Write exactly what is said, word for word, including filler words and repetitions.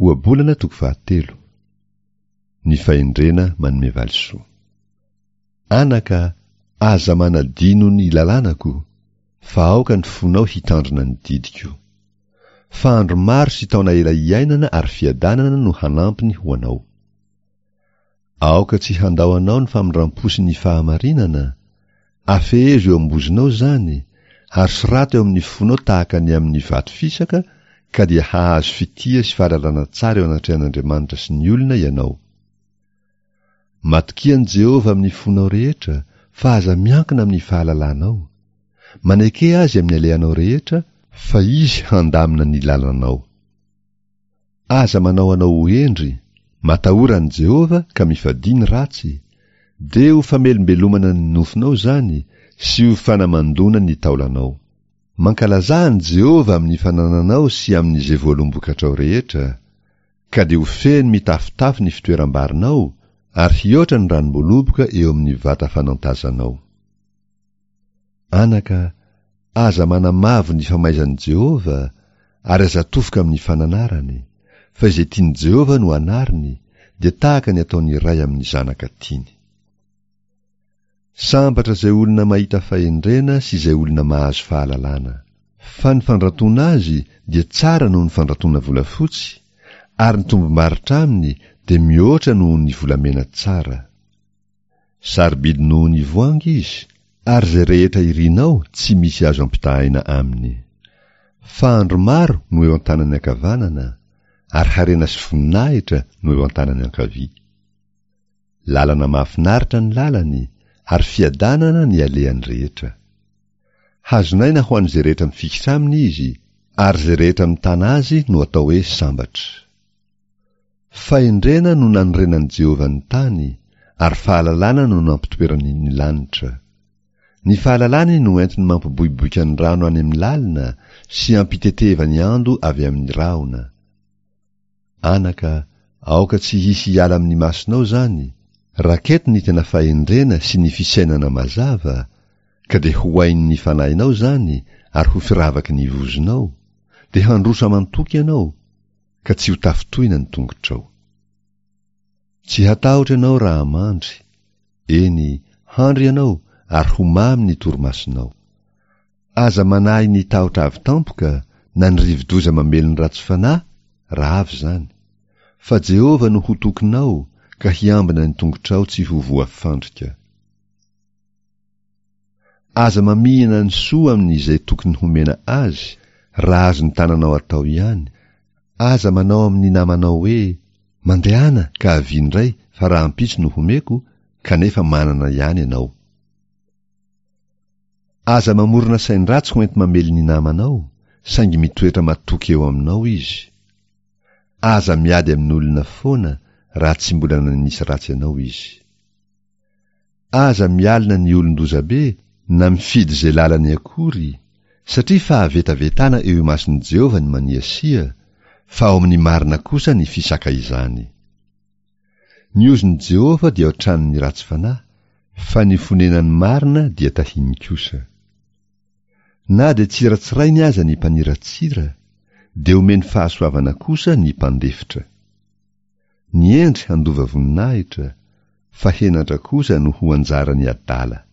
Ohabolana toko fahatelo. Ny fahendrena manome valisoa. Anaka, aza manadino ny lalànako, fa aoka ny fonao hitandrina ny didiko. Fa andro maro sy taona ela iainana ary fiadanana no hanampiny ho anao. Aoka tsy handao anao ny famindram-po sy ny fahamarinana, afehezo eo am-bozonao izany, ary soraty eo amin'ny fonao tahaka ny amin'ny vato fisaka, ka dia hahazo fitia sy fahalalana tsara eo anatrehan'Andriamanitra sy ny olona ianao. Matokia an'i Jehovah amin'ny fonao rehetra, fa aza miankina amin'ny fahalalanao. Maneke azy amin'ny alehanao rehetra, fa izy handamina ny lalanao. Aza manao anao ho hendry, matahora an'i Jehovah ka mifadia ny ratsy, dia ho famelombelomana ny nofonao izany sy ho fanamandoana ny taolanao. Mankalazà an'i Jehovah amin'ny fanananao sy amin'izay voaloham-bokatrao rehetra, ka dia ho feno mitafotafo ny fitoeram-barinao ary hihoatra ny ranom-boaloboka eo amin'ny vata fanantazanao. Anaka, aza manamavo ny famaizan'i Jehovah ary aza atofoka amin'ny fananarany, fa izay tian'i Jehovah no anariny, dia tahaka ny ataon'ny ray amin'ny zanaka tiany. Sambatra izay olona mahita fahendrena sy izay olona mahazo fahalalana. Fa ny fandrantoana azy dia tsara noho ny fandrantoana volafotsy, ary ny tombom-barotra aminy dia mihoatra noho ny volamena tsara. Sarobidy noho ny voangy izy, ary izay rehetra irinao tsy misy azo ampitahaina aminy. Fa andro maro no eo an-tanany ankavanana, ary harena sy voninahitra no eo an-tanany ankavia. Lalana mahafinaritra ny lalany, ary fiadanana ny alehany rehetra. Hazon'aina ho an'izay rehetra mifikitra aminy izy, ary izay rehetra mitana azy no atao hoe sambatra. Fahendrena no nanorenan'i Jehovah ny tany, ary fahalalana no nampitoerany ny lanitra. Ny fahalalany no entiny mampiboiboika ny rano any amin'ny lalina sy ampitetevany ando avy amin'ny rahona. Anaka, aoka tsy hisy hiala amin'ny masonao izany, raketo ny tena fahendrena sy ny fisainana mazava, ka dia ho hain'ny fanahinao izany ary ho firavaky ny vozonao, dia handroso aman-toky ianao, ka tsy ho tafintohina ny tongotrao. Tsy hatahotra ianao raha mandry, eny, handry ianao ary ho mamy ny torimasonao. Aza manahy ny tahotra avy tampoka na ny rivo-doza mamely ny ratsy fanahy raha avy izany, fa Jehovah no ho tokinao ka hiambina ny tongotrao tsy ho voafandrika. Aza mamihina ny soa amin'izay tokony homena azy raha azon'ny tananao atao ihany. Aza manao amin'ny namanao hoe, Mandehana ka avia indray fa rahampitso no homeko, kanefa manana ihany ianao. Aza mamorona sain-dratsy ho enti-mamely ny namanao, saingy mitoetra matoky eo aminao izy. Aza miady amin'olona foana raha tsy mbola nanisy ratsy anao izy. Aza mialona ny olon-dozabe na mifidy izay lalany akory, satria fahavetavetana eo imason'i Jehovah ny maniasia, fa ao amin'ny marina kosa ny fisakaizany. Ny ozon'i Jehovah dia ao an-tranon'ny ratsy fanahy, fa ny fonenan'ny marina dia tahiny kosa. Na dia tsiratsirainy aza ny mpaniratsira, dia omeny fahasoavana kosa ny mpandefitra. Ny hendry handova voninahitra, fa henatra kosa no ho anjaran'ny adala.